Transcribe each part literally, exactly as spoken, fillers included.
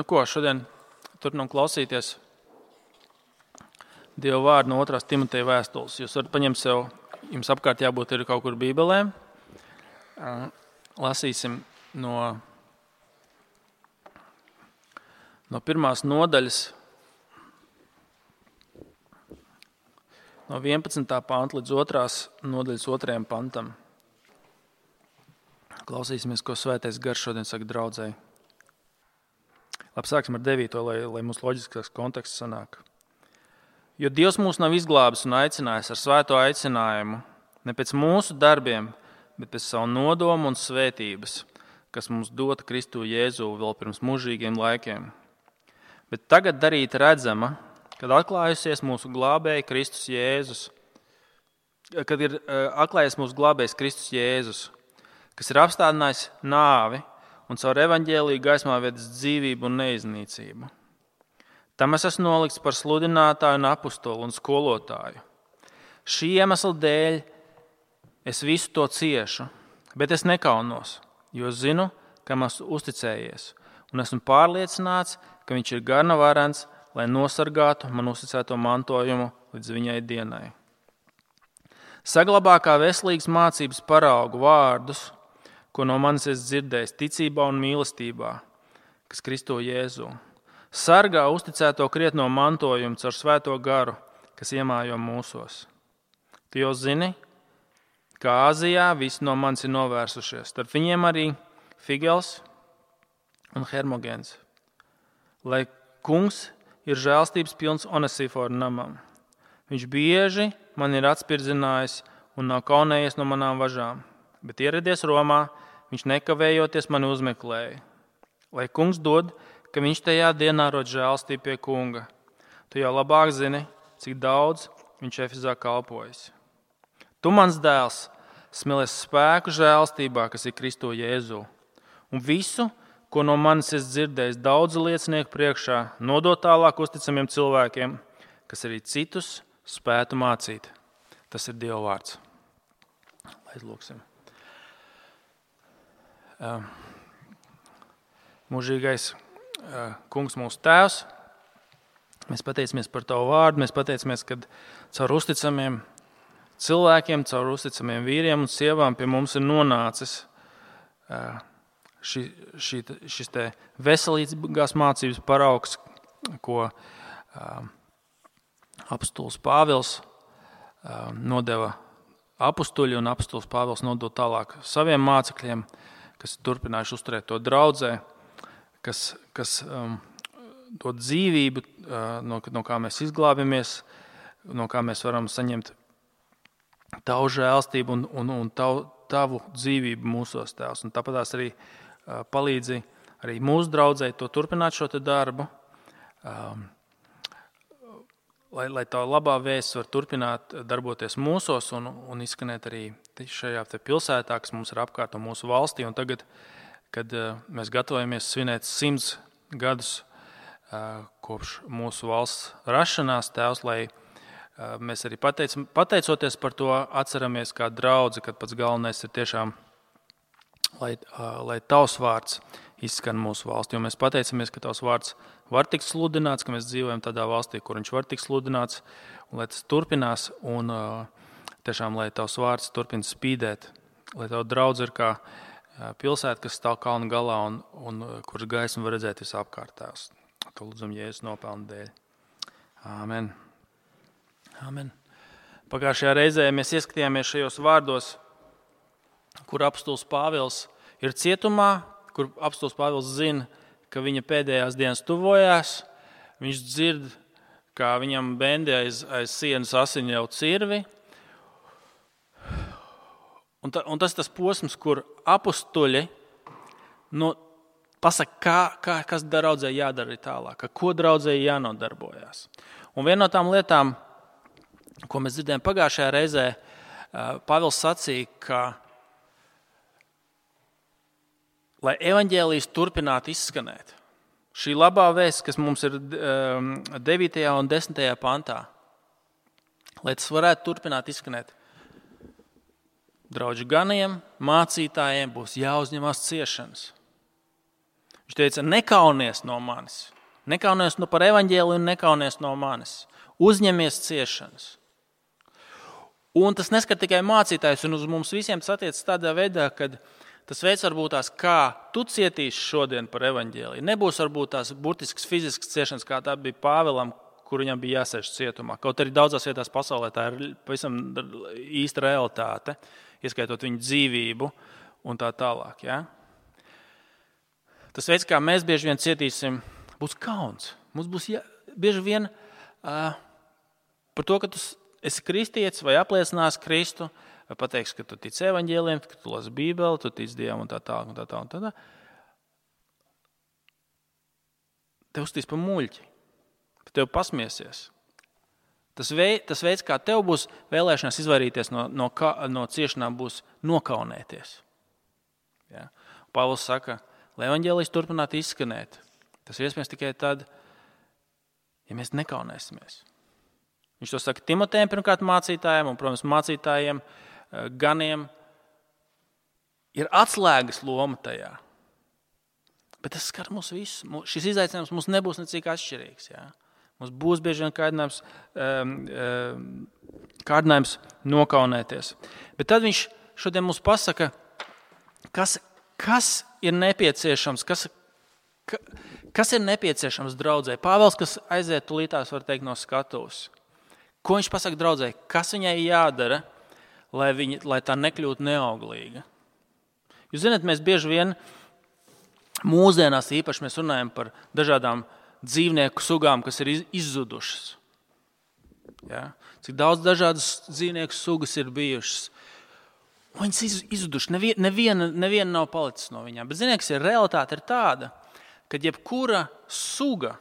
Nu ko, šodien turpinām klausīties Dieva vārdu no otrās Timoteja vēstules. Jūs varat paņemt sev, jums apkārt jābūt ir kaut kur bībelēm. Lasīsim no, no pirmās nodaļas, no vienpadsmitā panta līdz otrās nodaļas otrajam pantam. Klausīsimies, ko Svētais Gars šodien saka draudzēji. Labi, sāksim ar devīto, lai, lai mums loģiskāks konteksts sanāk. Jo Dievs mūs nav izglābis un aicinājis ar svēto aicinājumu, ne pēc mūsu darbiem, bet pēc savu nodomu un svētības, kas mums dota Kristu Jēzu vēl pirms mūžīgiem laikiem. Bet tagad darīt redzama, kad atklājusies mūsu glābēja Kristus Jēzus, kad ir atklājies mūsu glābējs Kristus Jēzus, kas ir apstādinājis nāvi un caur evaņģēliju gaismā vedis dzīvību un neiznīcību. Tam es esmu nolikts par sludinātāju un apustolu un skolotāju. Šī iemesla dēļ es visu to ciešu, bet es nekaunos, jo zinu, kam esmu uzticējies, un esmu pārliecināts, ka viņš ir gana varens, lai nosargātu man uzticēto mantojumu līdz viņai dienai. Saglabā kā veselīgas mācības paraugu vārdus, ko no manis es dzirdējis ticībā un mīlestībā, kas Kristo Jēzu. Sargā uzticēto krietno mantojumu caur svēto garu, kas iemājo mūsos. Tu jau zini, ka Āzijā visi no manis ir novērsušies, starp viņiem arī Figels un Hermogens. Lai kungs ir žēlstības pilns Onesifora namam. Viņš bieži man ir atspirdzinājis un nav kaunējies no manām važām, bet ieradies Romā, viņš nekavējoties mani uzmeklēja. Lai kungs dod, ka viņš tajā dienā rod žēlstību pie kunga. Tu jau labāk zini, cik daudz viņš Efezā kalpojas. Tu, mans dēls, smelies spēku žēlstībā, kas ir Kristo Jēzu. Un visu, ko no manis es dzirdējis daudzu liecinieku priekšā, nodot tālāk uzticamiem cilvēkiem, kas arī citus spētu mācīt. Tas ir Dieva vārds. Aizlūksim. Mūžīgais Kungs mūsu tēvs, mēs pateicamies par Tavu vārdu, mēs pateicamies, ka caur uzticamiem cilvēkiem, caur uzticamiem vīriem un sievām pie mums ir nonācis ši, ši, šis te veselīgās mācības paraugs, ko apustulis Pāvils nodeva apustuļi un apustulis Pāvils nodod tālāk saviem mācekļiem, kas turpinājuši uzturēt to draudzē, kas, kas um, dod dzīvību, uh, no, no kā mēs izglābjamies, no kā mēs varam saņemt Tavu žēlstību un, un, un tavu, tavu dzīvību mūsos, Tēvs. Un tāpat arī uh, palīdzi arī mūsu draudzei to turpināt šo te darbu, um, lai, lai tā labā vēsts var turpināt darboties mūsos un, un izskanēt arī šajā te pilsētā, kas mums ir apkārt un mūsu valstī. Un tagad, kad mēs gatavojamies svinēt simts gadus kopš mūsu valsts rašanās, Tēvs, lai mēs arī pateic, pateicoties par to atceramies kā draudzi, kad pats galvenais ir tiešām, lai, lai Tavs vārds izskan mūsu valstī. Jo mēs pateicamies, ka Tavs vārds var tikt sludināts, ka mēs dzīvojam tādā valstī, kur viņš var tikt sludināts, un lai tas turpinās, un tiešām, lai Tavs vārds turpina spīdēt, lai Tava draudze ir kā pilsēta, kas stāv kalnu galā un, un kuras gaismu var redzēt visapkārt, Tēvs. To lūdzam Jēzus nopelnu dēļ. Āmen. Āmen. Pagājušajā reizē mēs ieskatījāmies šajos vārdos, kur apustulis Pāvils ir cietumā, kur apustulis Pāvils zina, ka viņa pēdējās dienas tuvojās. Viņš dzird, kā viņam bendi aiz, aiz sienas asiņ jau cirvi. Un, ta, un tas ir tas posms, kur apustuļi nu, pasaka, kā, kā, kas draudzē jādara tālāk, ko draudzē jānodarbojās. Un viena no tām lietām, ko mēs dzirdējām pagājušajā reizē, Pāvils sacīja, ka, lai evaņģēlijs turpinātu izskanēt, šī labā vēsts, kas mums ir devītajā un desmitajā pantā, lai tas varētu turpināt izskanēt, draudžu ganiem, mācītājiem būs jāuzņemās ciešanas. Viņš teica, nekaunies no manis. Nekaunies no par evaņģēliju un nekaunies no manis. Uzņemies ciešanas. Un tas neskar tikai mācītājs, un uz mums visiem tas attiecas tādā veidā, kad tas veids varbūt tās, kā tu cietīsi šodien par evaņģēliju. Nebūs varbūt tās burtiskas fiziskas ciešanas, kā tā bija Pāvilam, kur viņam bija jāsēž cietumā. Kaut arī daudzās vietās pasaulē tā ir pavisam īsta realitāte, ieskaitot viņu dzīvību un tā tālāk. Ja? Tas veids, kā mēs bieži vien cietīsim, būs kauns. Mums būs jā, bieži vien uh, par to, ka tu esi kristietis vai apliecinās Kristu, vai pateiks, ka tu tici evaņģēlijiem, ka tu lasi Bībeli, tu tici Dievam un tā tālāk un tā tālāk. Tā, tā. Tev uztīs pa muļķi. Tev pasmiesies. Tas, vei, tas veids, kā tev būs vēlēšanās izvairīties no, no, no ciešanām, būs nokaunēties. Ja? Pāvils saka, lai evaņģēlijs turpinātu izskanēt. Tas ir iespējams tikai tad, ja mēs nekaunēsimies. Viņš to saka Timotejam, pirmkārt mācītājiem, un, protams, mācītājiem, ganiem. Ir atslēgas loma tajā. Bet tas skar mūs visus. Šis izaicinājums mums nebūs necik atšķirīgs. Ja? Mums būs bieži vien kārdinājums, kārdinājums nokaunēties. Bet tad viņš šodien mums pasaka, kas, kas ir nepieciešams, kas, kas ir nepieciešams draudzē. Pāvils, kas aiziet tulītās, var teikt, no skatuves. Ko viņš pasaka draudzē? Kas viņai jādara, lai, viņa, lai tā nekļūtu neauglīga? Jūs zināt, mēs bieži vien mūsdienās īpaši mēs runājam par dažādām dzīvnieku sugām, kas ir izzudušas. Ja? Cik daudz dažādas dzīvnieku sugas ir bijušas. Viņas izzudušas, neviena, neviena, neviena nav palicis no viņām. Bet ziniet, kas ir realitāte ir tāda, ka jebkura suga,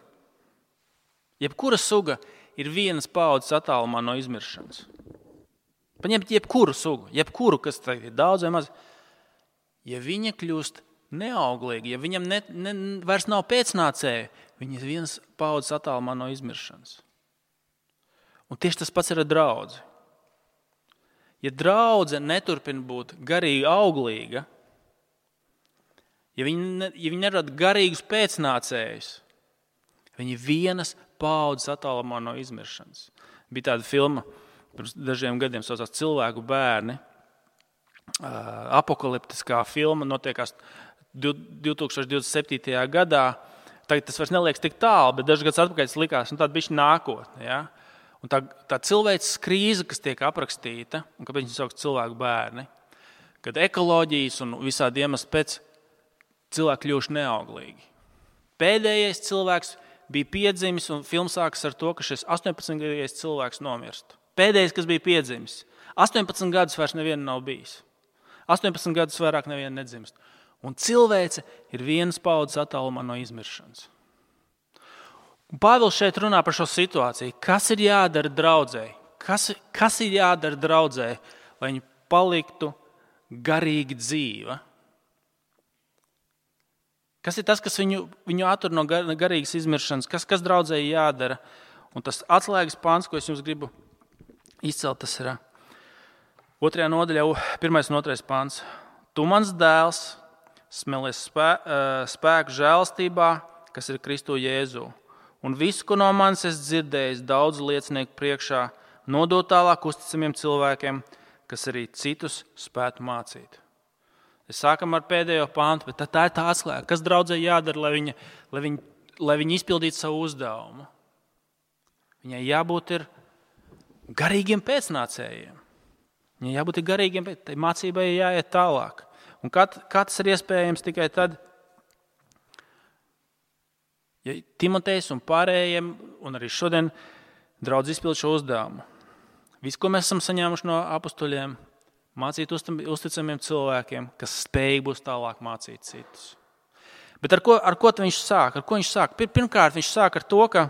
jebkura suga ir vienas paaudzes attālumā no izmiršanas. Paņemt jebkuru sugu, jebkuru, kas ir daudz vai maz, ja viņa kļūst neauglīgi, ja viņam ne, ne, vairs nav pēcnācēju, viņi ir viens paaudzes attālumā no izmiršanas. Un tieši tas pats ir ar draudzi. Ja draudze neturpina būt garīgi auglīga, ja viņi, ne, ja viņi nerada garīgus pēcnācējus, viņi vienas paaudzes attālumā no izmiršanas. Bija tāda filma pirms dažiem gadiem, saucās Cilvēku bērni. Apokaliptiskā filma notiekās divi tūkstoši divdesmit septītajā gadā. Tagad tas vairs neliekas tik tālu, bet dažs gads atpakaļ tas likās, un tāda bišķi nākotne. Ja? Un tā, tā cilvēces krīze, kas tiek aprakstīta, un kāpēc viņi sauc cilvēku bērni, kad ekoloģijas un visādi iemesli pēc cilvēki kļuvuši neauglīgi. Pēdējais cilvēks bija piedzimis, un filma sākas ar to, ka šis astoņpadsmitgadīgais cilvēks nomirst. Pēdējais, kas bija piedzimis. astoņpadsmit gadus vairs neviena nav bijis. astoņpadsmit gadus vairāk neviena nedzimst. Un cilvēce ir vienas paaudzes attālumā no izmiršanas. Un Pāvils šeit runā par šo situāciju. Kas ir jādara draudzēji? Kas, kas ir jādara draudzēji, lai viņi paliktu garīgi dzīva? Kas ir tas, kas viņu, viņu attur no gar, garīgas izmiršanas? Kas, kas draudzēji jādara? Un tas atslēgas pāns, ko es jums gribu izcelt, tas ir otrajā nodaļā, pirmais un otrais pāns. Tu mans dēls, smelies spē, spēku žēlastībā, kas ir Kristu Jēzu. Un visu, ko no manis es dzirdējis daudzu liecinieku priekšā, nodot tālāk uzticamiem cilvēkiem, kas arī citus spētu mācīt. Es sākam ar pēdējo pāntu, bet tā ir tā atslēga. Kas draudzē jādara, lai viņa, lai viņa, lai viņa izpildītu savu uzdevumu? Viņai jābūt ir garīgiem pēcnācējiem. Viņai jābūt ir garīgiem, tai mācībai jāiet tālāk. Un kā, kā tas ir iespējams tikai tad, ja Timotejs un pārējiem, un arī šodien draudz izpild šo uzdevumu. Visu, ko mēs esam saņēmuši no apustuļiem, mācīt uzticamiem cilvēkiem, kas spējīgi būs tālāk mācīt citus. Bet ar ko, ar ko viņš sāk? Ar ko viņš sāk? Pirmkārt, viņš sāk ar to, ka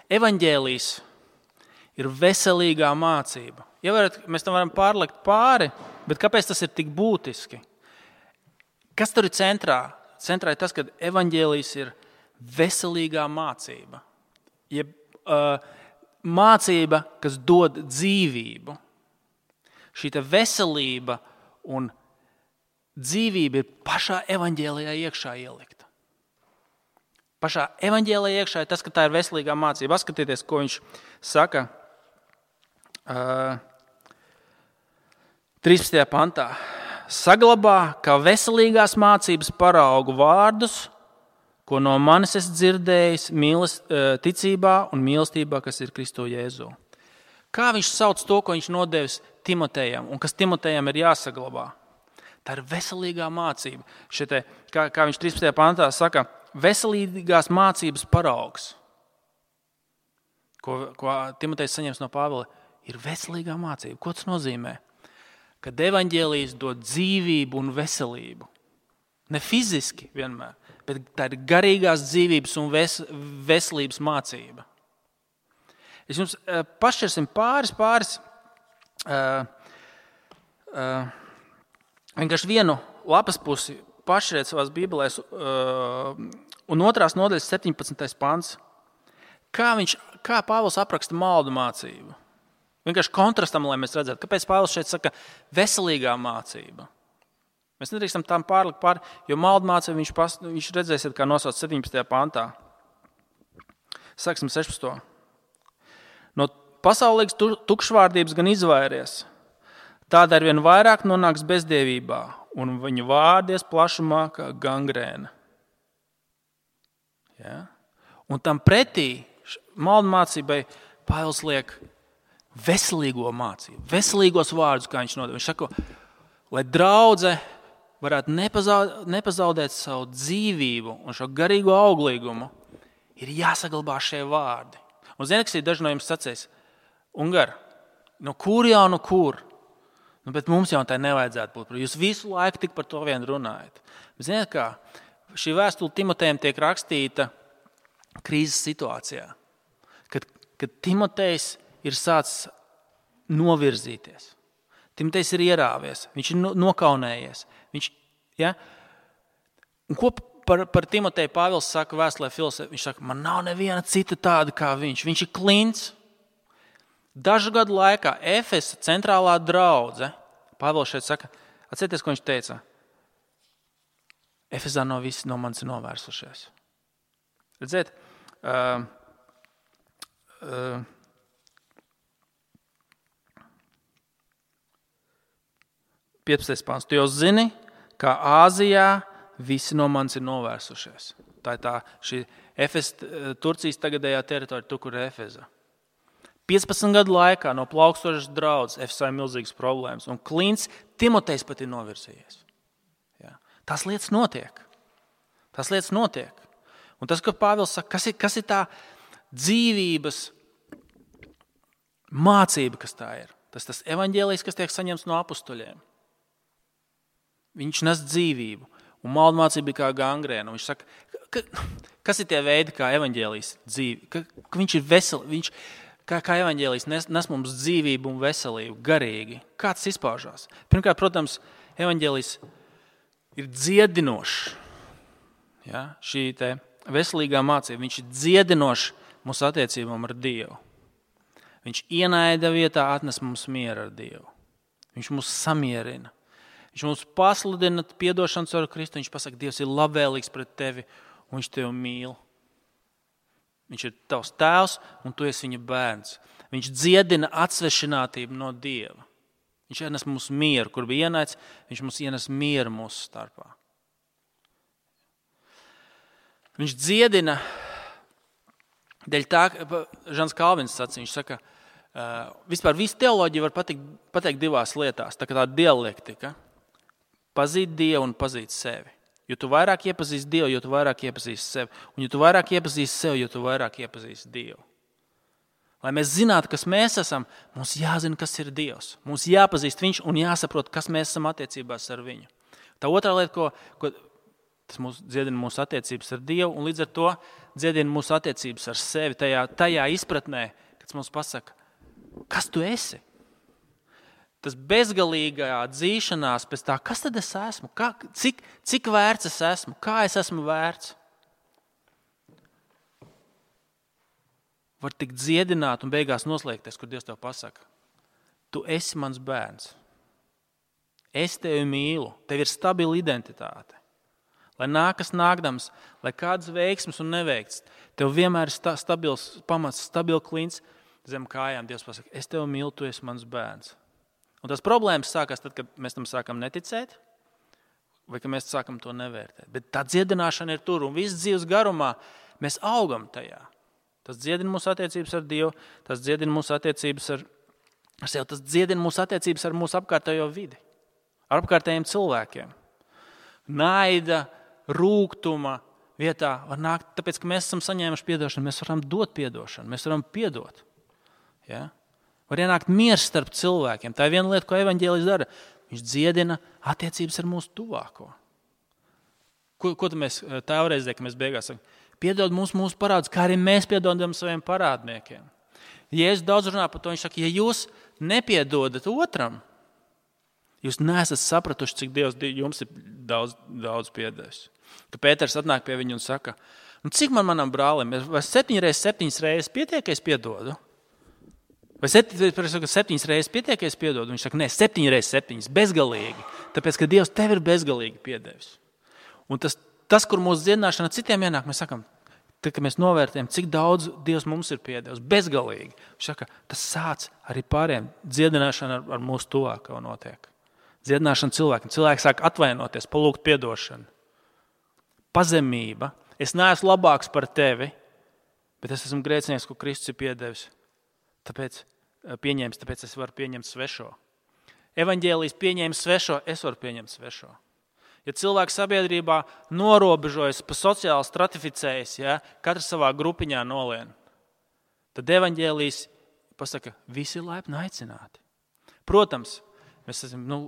evaņģēlijs ir veselīgā mācība. Ja varat, mēs tam varam pārlikt pāri, bet kāpēc tas ir tik būtiski? Kas tur ir centrā? Centrā ir tas, ka evaņģēlijs ir veselīgā mācība. Jeb, uh, mācība, kas dod dzīvību. Šī veselība un dzīvība ir pašā evaņģēlijā iekšā ielikta. Pašā evaņģēlijā iekšā ir tas, ka tā ir veselīgā mācība. Paskatieties, ko viņš saka uh, trīspadsmitajā pantā. Saglabā kā veselīgās mācības paraugu vārdus, ko no manis es dzirdējis mīles, ticībā un mīlestībā, kas ir Kristo Jēzu. Kā viņš sauc to, ko viņš nodevis Timotejam un kas Timotejam ir jāsaglabā? Tā ir veselīgā mācība. Šitie, kā, kā viņš trīspadsmitajā pantā saka, veselīgās mācības paraugs, ko, ko Timotejs saņems no Pāvila, ir veselīgā mācība. Ko tas nozīmē? Kad evaņģēlijs dod dzīvību un veselību. Ne fiziski vienmēr, bet tā ir garīgās dzīvības un ves, veselības mācība. Es jums uh, pašķirsim pāris, pāris, uh, uh, vienkārši vienu lapas pusi pašķiriet savās bībelēs, uh, un otrās nodaļas septiņpadsmitais pants. Kā, viņš, kā Pāvils apraksta maldu mācību? Vienkārši kontrastam, lai mēs redzētu, kāpēc Pāvils šeit saka veselīgā mācība. Mēs nedrīkstam tam pārlikt pāri, jo maldu mācību viņš, pas, viņš redzēsiet, kā nosauc septiņpadsmitajā pantā. Sāksim sešpadsmito. No pasaulīgas tukšvārdības gan izvairies, tāda arvien vairāk nonāks bezdievībā, un viņu vārdies plašumā kā gangrēna. Ja? Un tam pretī maldu mācībai Pāvils liek veselīgo mācību, veselīgos vārdus, kā viņš nodeva. Viņš saka, lai draudze varētu nepazaudēt savu dzīvību un šo garīgo auglīgumu, ir jāsaglabā šie vārdi. Un zini, kas ir daži no jums sacīs, Ungar, no kur jau, no kur? Nu, bet mums jau tā nevajadzētu būt. Jūs visu laiku tik par to vien runājat. Bet ziniet kā, šī vēstule Timotejam tiek rakstīta krīzes situācijā, kad, kad Timotejs ir sācis novirzīties. Timotejs ir ierāvies, viņš ir nokaunējies. Viņš, ja? Un ko par, par Timoteju Pāvils saka vēstulē Filosē? Viņš saka, man nav neviena cita tāda kā viņš. Viņš ir klints. Dažu gadu laikā Efesa centrālā draudze, Pāvils šeit saka, atcerieties, ko viņš teica? Efesā no visi no manis ir novērsušies. Redziet, uh, uh, piecpadsmitais pants. Tu jau zini, kā Āzijā visi no manis ir novērsušies. Tā ir tā, šī Efes, Turcijas tagadējā teritorija, tu, kur ir Efeza. piecpadsmit gadu laikā no plaukstošas draudzes Efesā ir milzīgas problēmas. Un klints Timotejs pat ir novirzījies. Ja. Tās lietas notiek. Tās lietas notiek. Un tas, ko Pāvils saka, kas ir, kas ir tā dzīvības mācība, kas tā ir? Tas tas evaņģēlijs, kas tiek saņemts no apustuļiem. Viņš nes dzīvību. Un maldu mācība bija kā gangrēna. Viņš saka, ka, kas ir tie veidi, kā evaņģēlijs dzīvi? Ka, ka viņš ir vesel, viņš, kā, kā evaņģēlijs nes, nes mums dzīvību un veselību, garīgi. Kā tas izpaužās? Pirmkārt, protams, evaņģēlijs ir dziedinošs. Ja? Šī te veselīgā mācība, viņš ir dziedinošs mūsu attiecībām ar Dievu. Viņš ienaida vietā atnes mums mieru ar Dievu. Viņš mūs samierina. Viņš mums pasludina piedošanas ar Kristu. Viņš pasaka, Dievs ir labvēlīgs pret tevi un viņš tevi mīl. Viņš ir tavs tēvs un tu esi viņa bērns. Viņš dziedina atsvešinātību no Dieva. Viņš ienes mums mieru, kur bija ienaids, viņš mums ienes mieru mūsu starpā. Viņš dziedina, dēļ tā, Žans Kalvins sacīja, viņš saka, uh, vispār visu teoloģiju var pateikt, pateikt divās lietās, tā kā tā dialektika. Pazīt Dievu un pazīt sevi. Jo tu vairāk iepazīsti Dievu, jo tu vairāk iepazīsti sevi. Un jo tu vairāk iepazīsti sevi, jo tu vairāk iepazīsti Dievu. Lai mēs zinātu, kas mēs esam, mums jāzina, kas ir Dievs. Mums jāpazīst viņš un jāsaprot, kas mēs esam attiecībās ar viņu. Tā otrā lieta, ko, ko tas mūs dziedina mūsu attiecības ar Dievu un līdz ar to dziedina mūsu attiecības ar sevi tajā, tajā izpratnē, kad mums pasaka, kas tu esi? Tas bezgalīgā dzīšanās pēc tā, kas tad es esmu? Kā, cik, cik vērts es esmu? Kā es esmu vērts? Var tikt dziedināt un beigās noslēgties, kur Dievs tev pasaka. Tu esi mans bērns. Es tevi mīlu, tev ir stabila identitāte. Lai nākas nākdams, lai kādas veiksmes un neveikts, tev vienmēr ir stabils pamats, stabila klints zem kājām. Dievs pasaka, es tevi mīlu, tu esi mans bērns. Un tas problēmas sākās tad, kad mēs tam sākam neticēt, vai kad mēs sākam to nevērtēt. Bet tā dziedināšana ir tur, un viss dzīves garumā mēs augam tajā. Tas dziedina mūsu attiecības ar Dievu, tas dziedina mūsu attiecības ar, ar sevi, tas dziedina mūsu attiecības ar mūsu apkārtējo vidi, ar apkārtējiem cilvēkiem. Naida, rūgtuma vietā var nākt, tāpēc, ka mēs esam saņēmuši piedošanu, mēs varam dot piedošanu, mēs varam piedot. Ja? Var ienākt miers starp cilvēkiem. Tā ir viena lieta, ko evaņģēlijs dara. Viņš dziedina attiecības ar mūsu tuvāko. Ko, ko mēs tā reizē, ka mēs beigās sakam? Piedod mums mūsu parādus, kā arī mēs piedodam saviem parādniekiem. Jēzus daudz runā par to, viņš saka, ja jūs nepiedodat otram, jūs neesat sapratuši, cik Dievs jums ir daudz, daudz piedevis. Ka Pēters atnāk pie viņu un saka, nu, cik man manam brālim, vai septiņas reizes, septiņas reizes pietiek, ka es piedodu? Vai septiņas reizes pietiek, ka es piedodu? Viņš saka, nē, septiņas reizes septiņas, bezgalīgi. Tāpēc, ka Dievs tev ir bezgalīgi piedevis. Un tas, tas kur mūsu dziedināšana citiem ienāk, mēs sakam, tad, kad mēs novērtējam, cik daudz Dievs mums ir piedevis, bezgalīgi. Viņš saka, tas sāc arī pāriem. Dziedināšana ar, ar mūsu tuvāko notiek. Dziedināšana cilvēkiem. Cilvēki sāk atvainoties, palūgt piedošanu. Pazemība. Es neesmu labāks par tevi, bet es esmu grēcinieks, ko Kristus ir piedevis. Tāpēc pieņēmis, tāpēc es varu pieņemt svešo. Evaņģēlijs pieņēma svešo, es varu pieņemt svešo. Ja cilvēks sabiedrībā norobežojas, pa sociāli stratificējas, ja, katrs savā grupiņā nolien, tad evaņģēlijs pasaka, visi ir laipni aicināti. Protams, mēs esam, nu,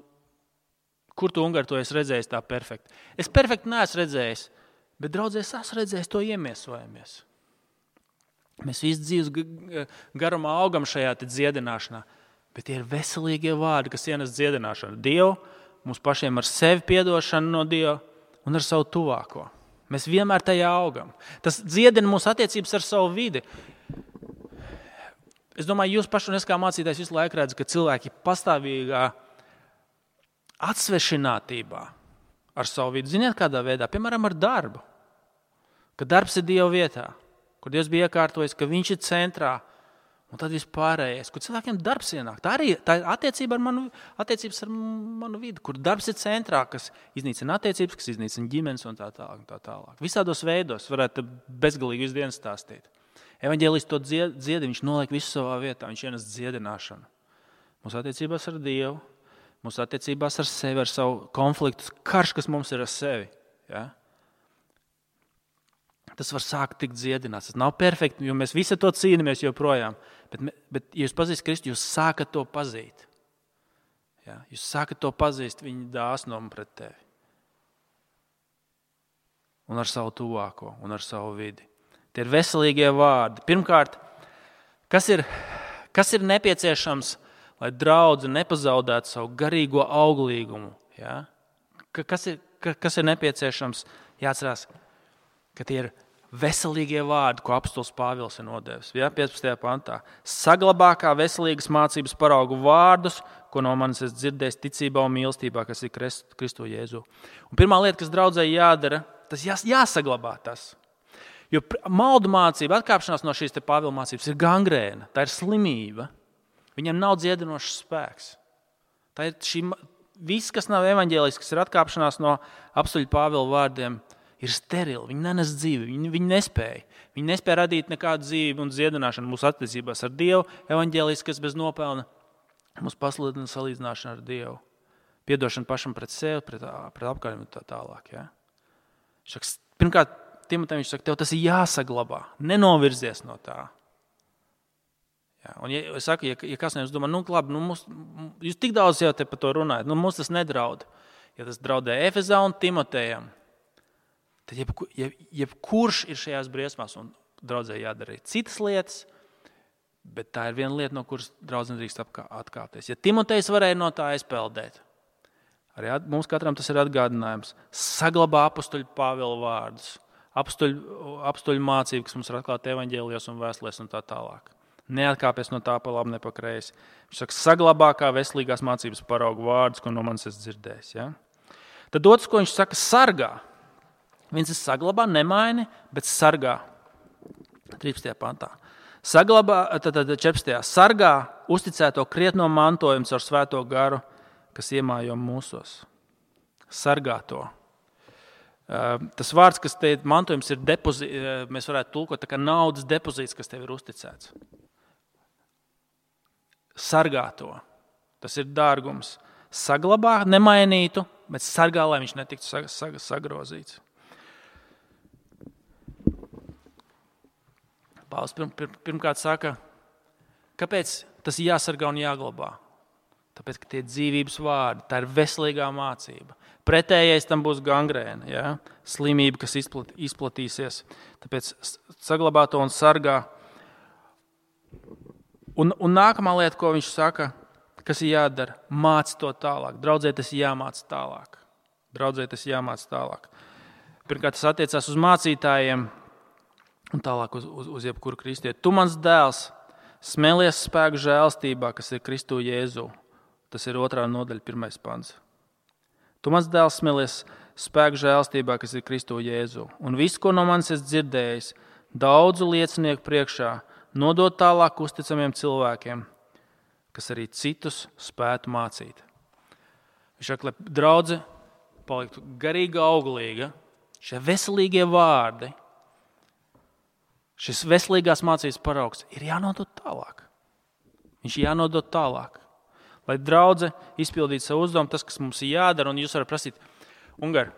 kur tu Ungari to esi redzējis tā perfekti? Es perfekti neesmu redzējis, bet draudzēs esmu redzējis, to iemiesojamies. Mēs visu dzīves garumā augam šajā dziedināšanā, bet tie ir veselīgie vārdi, kas ienes dziedināšanu. Dievu, mums pašiem ar sevi piedošanu no Dieva un ar savu tuvāko. Mēs vienmēr tajā augam. Tas dziedina mūsu attiecības ar savu vidi. Es domāju, jūs paši un es kā mācītājs visu laiku redzu, ka cilvēki pastāvīgā atsvešinātībā ar savu vidi. Ziniet, kādā veidā? Piemēram, ar darbu. Ka darbs ir Dieva vietā, kur Dievs bija iekārtojis, ka viņš ir centrā, un tad vispārējais, kur cilvēkiem darbs ienāk. Tā arī tā ir attiecība ar manu, attiecības ar manu vidi, kur darbs ir centrā, kas iznīcina attiecības, kas iznīcina ģimenes un tā tālāk. Tā tālāk. Visādos veidos varētu bezgalīgi visu dienu stāstīt. Evaņģēlijs to dzied, dziedi, viņš noliek visu savā vietā, viņš ienes dziedināšanu. Mūsu attiecībās ar Dievu, mūsu attiecībās ar sevi, ar savu konfliktu, karš, kas mums ir ar sevi. Ja? Tas var sākt tikt dziedināts. Tas nav perfekti, jo mēs visi to cīnāmies joprojām. Bet, bet ja jūs pazīstat Kristu, jūs sākat to pazīt. Ja? Jūs sākat to pazīst viņa dāsnumu pret tevi. Un ar savu tuvāko, un ar savu vidi. Tie ir veselīgie vārdi. Pirmkārt, kas ir, kas ir nepieciešams, lai draudze nepazaudētu savu garīgo auglīgumu? Ja? Kas ir, kas ir nepieciešams? Jāatcerās, ka tie ir veselīgie vārdi, ko apostols Pāvils ir nodevis. Ja? piecpadsmitajā pantā. Saglabā kā veselīgas mācības paraugu vārdus, ko no manis es dzirdējis ticībā un mīlestībā, kas ir Kristu Jēzu. Un pirmā lieta, kas draudzei jādara, tas jās, jāsaglabā tas. Jo maldu mācība, atkāpšanās no šīs te Pāvila mācības ir gangrēna, tā ir slimība. Viņam nav dziedinošs spēks. Tā ir šī, viss, kas nav evaņģēlijs, kas ir atkāpšanās no apostoļa Pāvila vārdiem, ir sterili. Viņi nenes dzīvi, viņi, viņi nespēja. Viņi nespēja radīt nekādu dzīvi un dziedināšanu mūsu attiecībās ar Dievu. Evaņģēlijs, kas bez nopelna mūs pasludina salīdzināšanu ar Dievu. Piedošana pašam pret sevi, pret, pret apkārtējiem un tā tālāk. Ja? Šaks, pirmkārt, Timotejam viņš saka, tev tas ir jāsaglabā, nenovirzies no tā. Ja, un ja, es saku, ja, ja kas nevis domā, nu labi, nu, mums, jūs tik daudz jau te par to runājat, nu mums tas nedraud. Ja tas draudē Efezā un Timotejam, tad jeb, jeb, jebkurš ir šajās briesmās un draudzē jādara citas lietas, bet tā ir viena lieta, no kuras draudz nedrīkst atkāpties. Ja Timotejs varēja no tā aizpeldēt, arī mums katram tas ir atgādinājums, saglabā apostoļu Pāvila vārdus, apostoļu, apostoļu mācību, kas mums ir atklāta evaņģēlijos un vēstulēs un tā tālāk. Neatkāpies no tā pa labi, ne pa kreisi. Viņš saka, saglabā kā veselīgās mācības paraugu vārdus, ko no manis esi dzirdējis. Ja? Tad otrs, ko viņš saka, sargā. Viens ir saglabā, nemaini, bet sargā. trīspadsmitajā pantā. Saglabā, tad, tad četrpadsmitajā sargā uzticēto krietno mantojumu ar svēto garu, kas iemājo mūsos. Sargā to. Tas vārds, kas te mantojums ir depozīts, mēs varētu tulkot tā kā naudas depozīts, kas tev ir uzticēts. Sargā to. Tas ir dārgums. Saglabā, nemainītu, bet sargā, lai viņš netiktu sag, sag, sagrozīts. Pāvils pirm, pirm, pirmkārt saka, kāpēc tas ir jāsargā un jāglabā? Tāpēc, ka tie dzīvības vārdi, tā ir veselīgā mācība. Pretējais tam būs gangrēna, ja? Slimība, kas izplat, izplatīsies. Tāpēc saglabā to un sargā. Un, un nākamā lieta, ko viņš saka, kas ir jādara, māc to tālāk. Draudzē tas jāmāc tālāk. Draudzē tas jāmāc tālāk. Pirmkārt, tas attiecās uz mācītājiem un tālāk uz, uz, uz jebkuru kristieti. Tu mans dēls, smelies spēku žēlstībā, kas ir Kristu Jēzu. Tas ir otrā nodaļa, pirmais pants. Tu mans dēls, smelies spēku žēlstībā, kas ir Kristu Jēzu. Un visu, ko no manis esi dzirdējis, daudzu liecinieku priekšā, nodot tālāk uzticamiem cilvēkiem, kas arī citus spētu mācīt. Viņš saka, lai draudze paliktu garīga, auglīga, šie veselīgie vārdi, šis veselīgās mācības paraugs ir jānodot tālāk. Viņš ir jānodot tālāk. Lai draudze izpildītu savu uzdevumu, tas, kas mums ir jādara, un jūs varat prasīt, Ungar,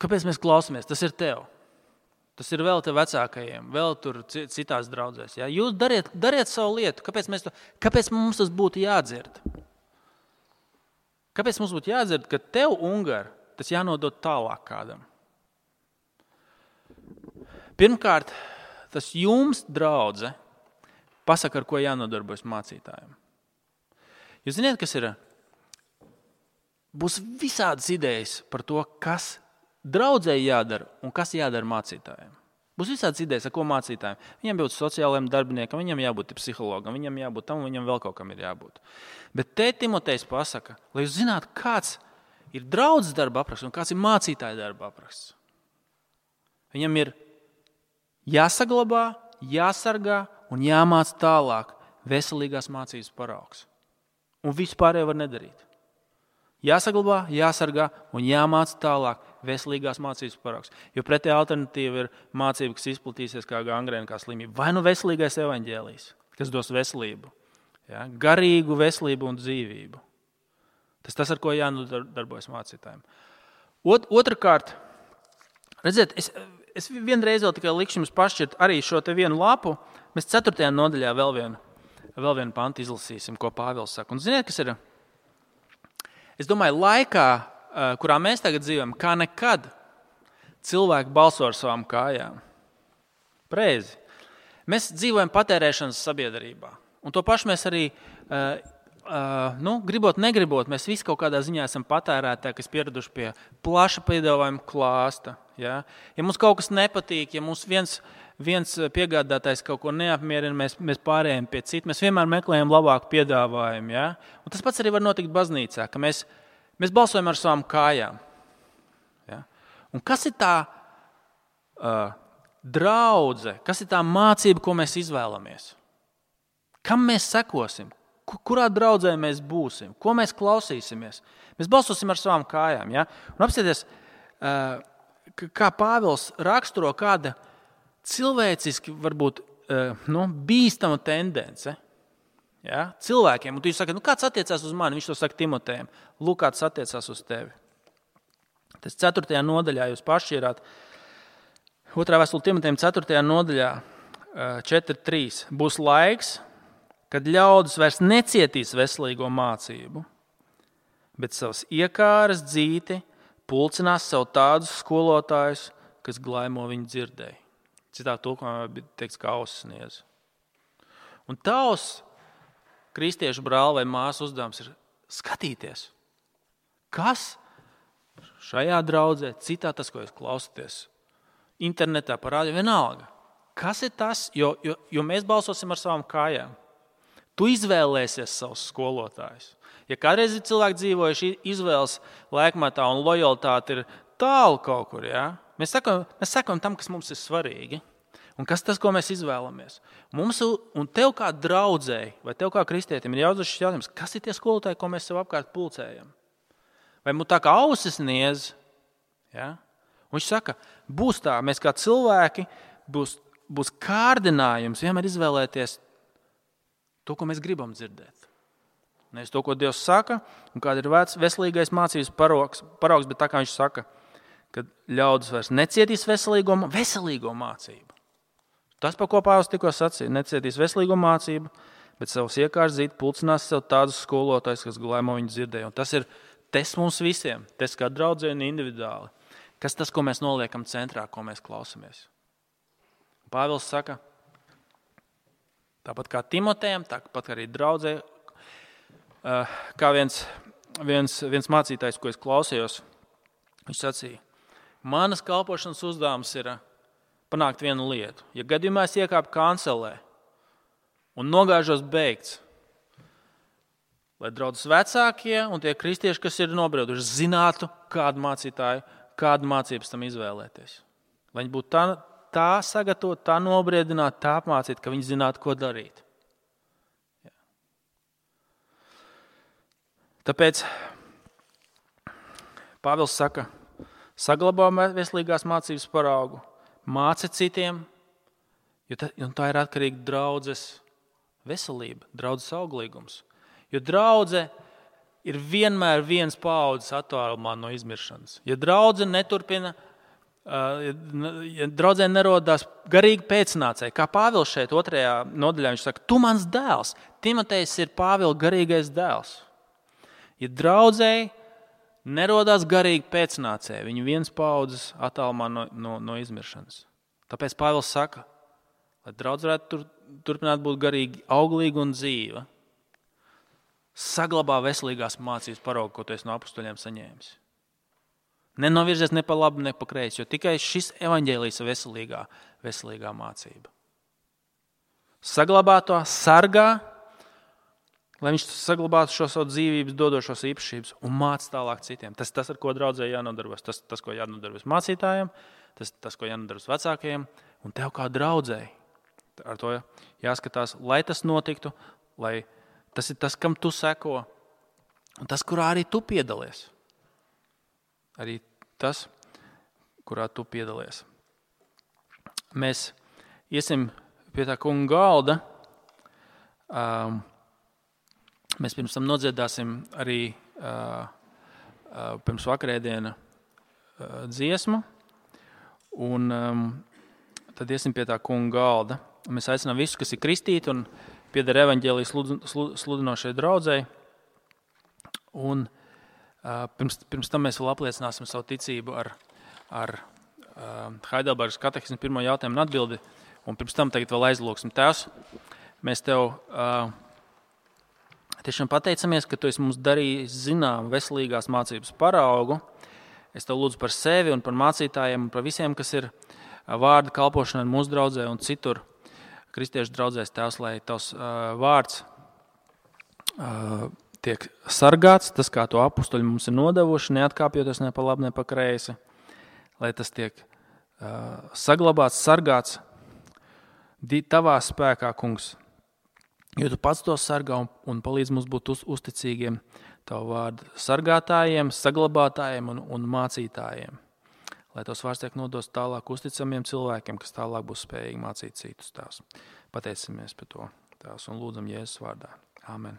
kāpēc mēs klausamies? Tas ir tev. Tas ir vēl tev vecākajiem, vēl tur citās draudzēs. Ja? Jūs dariet, dariet savu lietu. Kāpēc, mēs to, kāpēc mums tas būtu jādzird? Kāpēc mums būtu jādzird, ka tev, Ungar, tas jānodot tālāk kādam? Pirmkārt, tas jums, draudze, pasaka, ar ko jānodarbojas mācītājiem. Jūs ziniet, kas ir? Būs visādas idejas par to, kas draudzēji jādara un kas jādara mācītājiem. Būs visādas idejas, ar ko mācītājiem. Viņam jābūt sociālajiem darbiniekam, viņam jābūt psihologam, viņam jābūt tam, viņam vēl kaut kam ir jābūt. Bet te Timotejs pasaka, lai jūs zinātu, kāds ir draudzes darba apraksts un kāds ir mācītāja darba apraksts. Viņam ir jāsaglabā, jāsargā un jāmāc tālāk veselīgās mācības paraugs. Un visu pārējo var nedarīt. Jāsaglabā, jāsargā un jāmāc tālāk veselīgās mācības paraugs. Jo pretējā alternatīva ir mācība, kas izplatīsies kā gangrēna, kā slimība. Vai nu veselīgais evaņģēlijs, kas dos veselību, ja? Garīgu veselību un dzīvību. Tas tas, ar ko jānodarbojas mācītājiem. Ot, otrakārt, redziet, es, es vienreiz vēl tikai likšu jums pašķirt arī šo te vienu lapu. Mēs ceturtajā nodaļā vēl vienu, vēl vienu pantu izlasīsim, ko Pāvils saka. Un ziniet, kas ir? Es domāju, laikā, kurā mēs tagad dzīvojam, kā nekad cilvēki balso ar savām kājām. Preizi. Mēs dzīvojam patērēšanas sabiedrībā. Un to pašu mēs arī, uh, uh, nu, gribot, negribot, mēs visi kaut kādā ziņā esam patērētāji, kas pieraduši pie plaša piedāvājuma klāsta. Ja? Ja mums kaut kas nepatīk, ja mums viens, viens piegādātājs kaut ko neapmierina, mēs, mēs pārējām pie citu, mēs vienmēr meklējam labāku piedāvājumu. Ja? Un tas pats arī var notikt baznīcā, ka mēs, mēs balsojam ar savām kājām. Ja? Un kas ir tā uh, draudze, kas ir tā mācība, ko mēs izvēlamies? Kam mēs sekosim? Kurā draudzē mēs būsim? Ko mēs klausīsimies? Mēs balsosim ar savām kājām. Ja? Un apsieties, uh, kā Pāvils raksturo kāda cilvēciski varbūt nu, bīstama tendence ja, cilvēkiem. Un tu saki, nu kāds attiecās uz mani? Viņš to saka Timotejam. Lūk, kāds attiecās uz tevi. Tas ceturtajā nodaļā jūs pašķirāt. Otrā vēstule Timotejam ceturtajā nodaļā četri trīs. Būs laiks, kad ļaudis vairs necietīs veselīgo mācību, bet savas iekāras dzīti pulcinās sev tādus skolotājus, kas glaimo viņu dzirdēji. Citā tulkumā bija teikts, kā ausis sniedz. Un tavs kristiešu brāli vai māsu uzdevums ir skatīties, kas šajā draudzē, citā tas, ko jūs klausaties, internetā parādi vienalga. kas ir tas, jo, jo, jo mēs balsosim ar savām kājām. Tu izvēlēsies savus skolotājus. Ja kādreiz ir cilvēki dzīvojuši izvēles laikmatā un lojalitāte ir tālu kaut kur, ja? mēs sakam, mēs sakam tam, kas mums ir svarīgi. Un kas tas, ko mēs izvēlamies? Mums un tev kā draudzēji, vai tev kā kristietim ir jāuzdod šis jautājums, kas ir tie skolotāji, ko mēs sev apkārt pulcējam? Vai mums tā kā ausis niedz? Ja? Un viņš saka, būs tā, mēs kā cilvēki, būs, būs kārdinājums vienmēr izvēlēties to, ko mēs gribam dzirdēt. Nevis to, ko Dievs saka, un kāda ir vec, veselīgais mācības paraugs, paraugs, bet tā kā viņš saka, ka ļaudis vairs necietīs veselīgo, veselīgo mācību. Tas, pa ko Pāvils tikko sacīja, necietīs veselīgo mācību, bet savus iekārs zīt pulcinās sev tādus skolotājus, kas gulēmo viņu dzirdēja. Un tas ir tests mums visiem, tests kā draudzē un individuāli. Kas tas, ko mēs noliekam centrā, ko mēs klausamies? Pāvils saka, tāpat kā Timotejam, tāpat arī draudzē, kā viens, viens, viens mācītājs, ko es klausījos, viņš sacīja, manas kalpošanas uzdevums ir panākt vienu lietu. Ja gadījumā es iekāpu kancelē un nogāžos beigts, lai draudzes vecākie un tie kristieši, kas ir nobrieduši, zinātu, kādu mācītāju, kādu mācības tam izvēlēties. Lai viņi būtu tā, tā sagatavot, tā nobriedināt, tā apmācīt, ka viņi zinātu, ko darīt. Jā. Tāpēc Pāvils saka, saglabā veselīgās mācības paraugu, māci citiem, jo tā, jo tā ir atkarīga draudzes veselība, draudzes auglīgums. Jo draudze ir vienmēr viens paaudzes attālumā no izmiršanas. Ja draudze neturpina, ja draudzē nerodās garīgi pēcnācēji, kā Pāvils šeit otrajā nodaļā, viņš saka, tu mans dēls, Timotejs ir Pāvila garīgais dēls. Ja draudzēji nerodās garīgi pēcnācēji, viņi viens paaudzes attālumā no, no, no izmiršanas. Tāpēc Pāvils saka, lai draudze varētu tur, turpināt būt garīgi auglīga un dzīva, saglabā veselīgās mācības paraugu, ko tu esi no apustuļiem saņēmis. Nenovirzies ne pa labi, ne pa kreisi, jo tikai šis evaņģēlijs ir veselīgā, veselīgā mācība. Saglabā to, sargā, lai viņš saglabātu šo savu dzīvības dodošos īpašības un māc tālāk citiem. Tas, tas ar ko draudzē jānodarbojas, tas, tas, ko jānodarbojas mācītājiem, tas, tas, ko jānodarbojas vecākajiem, un tev kā draudzēji. Ar to jāskatās, lai tas notiktu, lai tas ir tas, kam tu seko, un tas, kurā arī tu piedalies. Arī tas, kurā tu piedalies. Mēs iesim pie tā kunga galda. Um, mēs pirms tam nodziedāsim arī uh, uh, pirms vakarēdiena uh, dziesmu. Un um, tad iesim pie tā kunga galda. Mēs aicinām visus, kas ir kristīti un pieder evaņģēlijas sludinošai draudzei. Un uh, pirms, pirms tam mēs vēl apliecināsim savu ticību ar, ar uh, Heidelbergas katehismu pirmo jautājumu un atbildi. Un pirms tam tagad vēl aizlūksim. Tēvs, mēs tev uh, tiešām pateicamies, ka tu esi mums darījis zinām veselīgās mācības paraugu. Es tev lūdzu par sevi un par mācītājiem un par visiem, kas ir vārda kalpošanai mūsu draudzē un citur. Kristiešu draudzēs, Tēvs, lai tavs uh, vārds uh, tiek sargāts, tas, kā to apustuļi mums ir nodevuši, neatkāpjoties ne pa labi, ne pa kreisi, lai tas tiek uh, saglabāts, sargāts tavā spēkā, kungs, jo tu pats to sargā un, un palīdz mums būt uz, uzticīgiem tavu vārdu sargātājiem, saglabātājiem un, un mācītājiem. Lai tos vārds tiek nodos tālāk uzticamiem cilvēkiem, kas tālāk būs spējīgi mācīt citus, Tēvs. Pateicamies par to, Tēvs, un lūdzam Jēzus vārdā. Āmen.